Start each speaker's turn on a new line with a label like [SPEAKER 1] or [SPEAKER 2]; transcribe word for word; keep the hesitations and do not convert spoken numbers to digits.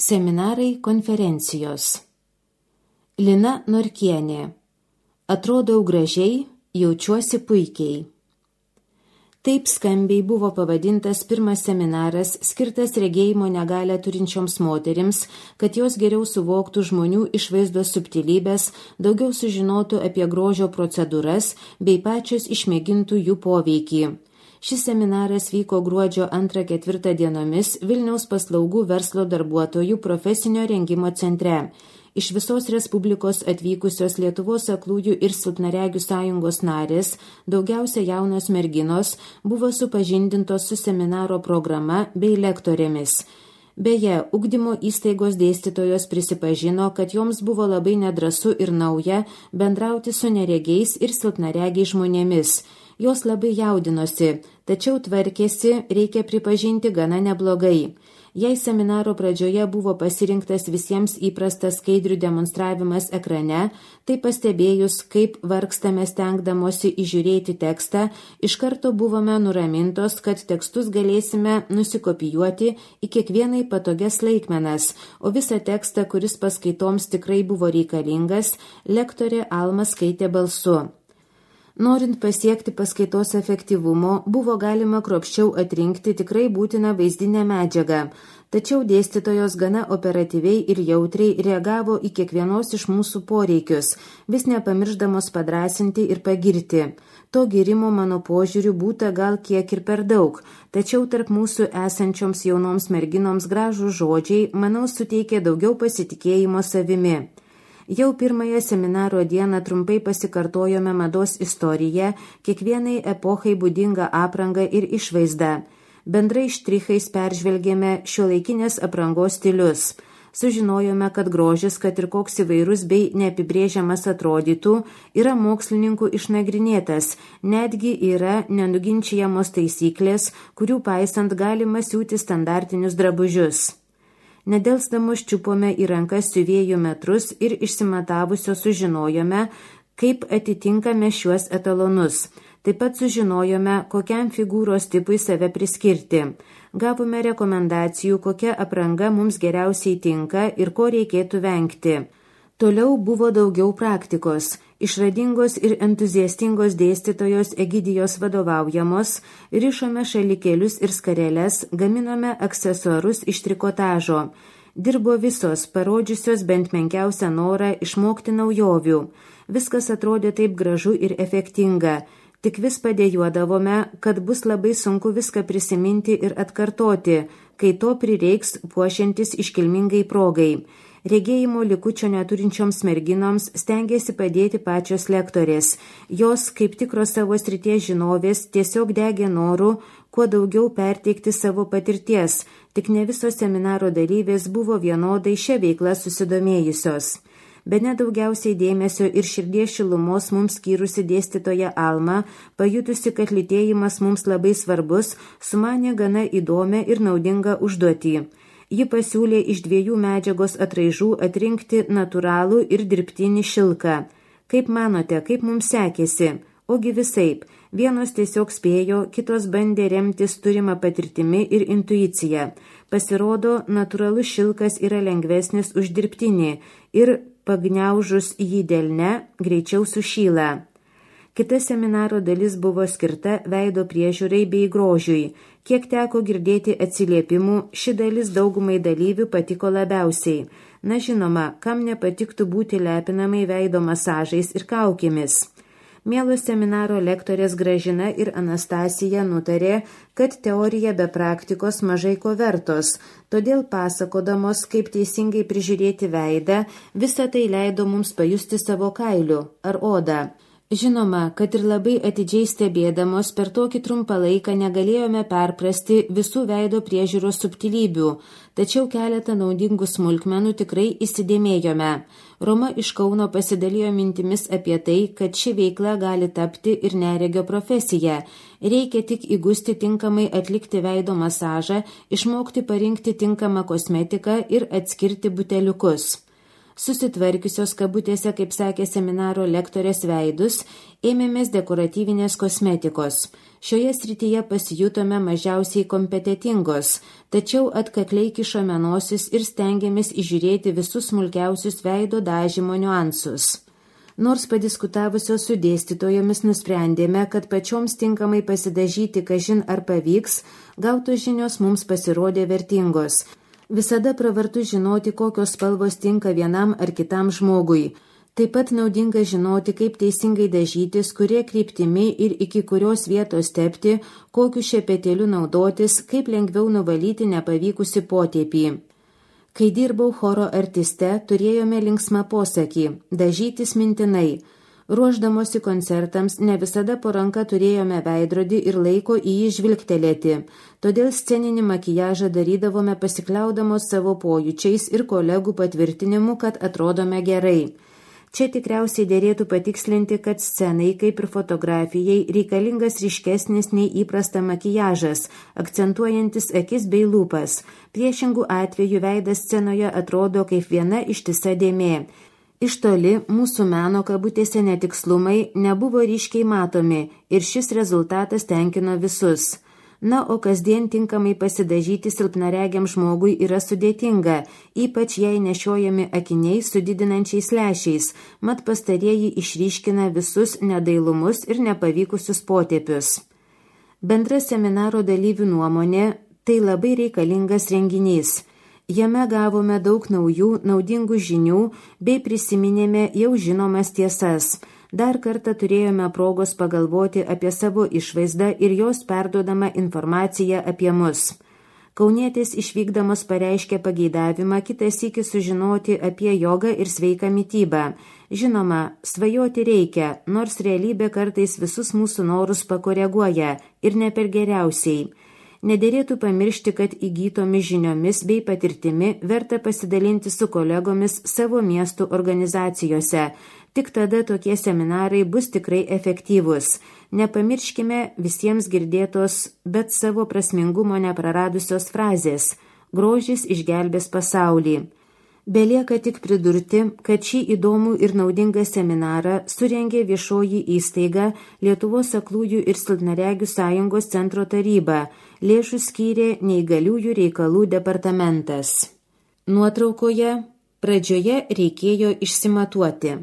[SPEAKER 1] Seminarai konferencijos. Lina Norkienė. Atrodau gražiai, jaučiuosi puikiai. Taip skambiai buvo pavadintas pirmas seminaras, skirtas regėjimo negalią turinčioms moterims, kad jos geriau suvoktų žmonių išvaizdos subtilybės, daugiau sužinotų apie grožio procedūras bei pačios išmėgintų jų poveikį. Šis seminaras vyko gruodžio antrą ketvirtą dienomis Vilniaus paslaugų verslo darbuotojų profesinio rengimo centre. Iš visos Respublikos atvykusios Lietuvos aklųjų ir silpnaregių sąjungos narės, daugiausia jaunos merginos, buvo supažindintos su seminaro programa bei lektorėmis. Beje, ugdymo įstaigos dėstytojos prisipažino, kad joms buvo labai nedrąsu ir nauja bendrauti su neregiais ir silpnaregiais žmonėmis. Jos labai jaudinosi, tačiau tvarkėsi, reikia pripažinti, gana neblogai. Jei seminaro pradžioje buvo pasirinktas visiems įprastas skaidrių demonstravimas ekrane, tai pastebėjus, kaip vargstame stengdamosi įžiūrėti tekstą, iš karto buvome nuramintos, kad tekstus galėsime nusikopijuoti į kiekvienai patogias laikmenas, o visą tekstą, kuris paskaitoms tikrai buvo reikalingas, lektorė Alma skaitė balsu. Norint pasiekti paskaitos efektyvumo, buvo galima kruopščiau atrinkti tikrai būtiną vaizdinę medžiagą, tačiau dėstytojos gana operatyviai ir jautriai reagavo į kiekvienos iš mūsų poreikius, vis nepamirždamos padrąsinti ir pagirti. To girimo mano požiūriu būta gal kiek ir per daug, tačiau tarp mūsų esančioms jaunoms merginoms gražų žodžiai, manau, suteikė daugiau pasitikėjimo savimi. Jau pirmąją seminaro dieną trumpai pasikartojome mados istoriją, kiekvienai epochai būdingą aprangą ir išvaizdą. Bendrai štrichais peržvelgėme šiuolaikinės aprangos stilius. Sužinojome, kad grožis, kad ir koks įvairus bei neapibrėžiamas atrodytų, yra mokslininkų išnagrinėtas, netgi yra nenuginčijamos taisyklės, kurių paisant galima siūti standartinius drabužius. Nedelsdamos čiupome į rankas siuvėjų metrus ir išsimatavusio sužinojome, kaip atitinkame šiuos etalonus. Taip pat sužinojome, kokiam figūros tipui save priskirti. Gavome rekomendacijų, kokia apranga mums geriausiai tinka ir ko reikėtų vengti. Toliau buvo daugiau praktikos. Išradingos ir entuziastingos dėstytojos Egidijos vadovaujamos, rišome šalikėlius ir skareles, gaminome aksesuarus iš trikotažo. Dirbo visos, parodžiusios bent menkiausią norą išmokti naujovių. Viskas atrodė taip gražu ir efektinga. Tik vis padėjuodavome, kad bus labai sunku viską prisiminti ir atkartoti, kai to prireiks puošiantis iškilmingai progai. Regėjimo likučio neturinčioms merginoms stengėsi padėti pačios lektorės. Jos, kaip tikros savo srities žinovės, tiesiog degė noru kuo daugiau perteikti savo patirties, tik ne visos seminaro dalyvės buvo vienodai šią veiklą susidomėjusios. Bene daugiausiai dėmesio ir širdies šilumos mums skyrusi dėstytoja Alma, pajutusi, kad lytėjimas mums labai svarbus, sumanė gana įdomią ir naudingą užduotį. Ji pasiūlė iš dviejų medžiagos atraižų atrinkti natūralų ir dirbtinį šilką. Kaip manote, kaip mums sekėsi? Ogi visaip. Vienos tiesiog spėjo, kitos bandė remtis turimą patirtimi ir intuiciją. Pasirodo, natūralus šilkas yra lengvesnis už dirbtinį ir pagniaužus jį delne greičiau sušyla. Kita seminaro dalis buvo skirta veido priežiūrai bei grožiui. Kiek teko girdėti atsiliepimų, ši dalis daugumai dalyvių patiko labiausiai. Na žinoma, kam nepatiktų būti lepinamai veido masažais ir kaukėmis. Mielos seminaro lektorės Gražina ir Anastasija nutarė, kad teorija be praktikos mažai ko vertos, todėl pasakodamos, kaip teisingai prižiūrėti veidą, visą tai leido mums pajusti savo kailiu ar odą. Žinoma, kad ir labai atidžiai stebėdamos per tokį trumpą laiką negalėjome perprasti visų veido priežiūros subtilybių, tačiau keletą naudingų smulkmenų tikrai įsidėmėjome. Roma iš Kauno pasidalijo mintimis apie tai, kad ši veikla gali tapti ir neregio profesija. Reikia tik įgusti tinkamai atlikti veido masažą, išmokti parinkti tinkamą kosmetiką ir atskirti buteliukus. susitvarkiusios kabutėse, kaip sakė seminaro lektorės veidus, ėmėmės dekoratyvinės kosmetikos. Šioje srityje pasijutome mažiausiai kompetitingos, tačiau atkakliai kišome nosis ir stengiamės įžiūrėti visus smulkiausius veido dažymo niuansus. Nors padiskutavusios su dėstytojomis nusprendėme, kad pačioms tinkamai pasidažyti kažin ar pavyks, gautos žinios mums pasirodė vertingos. Visada pravartu žinoti, kokios spalvos tinka vienam ar kitam žmogui. Taip pat naudinga žinoti, kaip teisingai dažytis, kurie kryptimi ir iki kurios vietos tepti, kokiu šepetėliu naudotis, kaip lengviau nuvalyti nepavykusi potėpį. Kai dirbau choro artiste, turėjome linksmą posakį – dažytis mintinai. Ruošdamosi koncertams ne visada po ranka turėjome veidrodį ir laiko į jį žvilgtelėti, todėl sceninį makijažą darydavome pasikliaudamos savo pojūčiais ir kolegų patvirtinimu, kad atrodome gerai. Čia tikriausiai dėrėtų patikslinti, kad scenai, kaip ir fotografijai, reikalingas ryškesnis nei įprasta makijažas, akcentuojantis akis bei lūpas. Priešingų atveju veidas scenoje atrodo kaip viena ištisa dėmė. Iš toli mūsų meno kabutėse netikslumai nebuvo ryškiai matomi ir šis rezultatas tenkino visus. Na, o kasdien tinkamai pasidažyti silpnaregiam žmogui yra sudėtinga, ypač jei nešiojami akiniai su didinančiais lęšiais, mat pastarieji išryškina visus nedailumus ir nepavykusius potėpius. Bendra seminaro dalyvių nuomonė – tai labai reikalingas renginys. Jame gavome daug naujų, naudingų žinių bei prisiminėme jau žinomas tiesas. Dar kartą turėjome progos pagalvoti apie savo išvaizdą ir jos perduodamą informaciją apie mus. Kaunietės išvykdamos pareiškė pageidavimą kitą sykį sužinoti apie jogą ir sveiką mitybą. Žinoma, svajoti reikia, nors realybė kartais visus mūsų norus pakoreguoja ir ne per geriausiai. Nederėtų pamiršti, kad įgytomis žiniomis bei patirtimi verta pasidalinti su kolegomis savo miestų organizacijose. Tik tada tokie seminarai bus tikrai efektyvūs. Nepamirškime visiems girdėtos, bet savo prasmingumo nepraradusios frazės – grožis išgelbės pasaulį. Belieka tik pridurti, kad šį įdomų ir naudingą seminarą surengė viešoji įstaiga Lietuvos aklųjų ir silpnaregių sąjungos centro taryba, lėšų skyrė neįgaliųjų reikalų departamentas. Nuotraukoje pradžioje reikėjo išsimatuoti.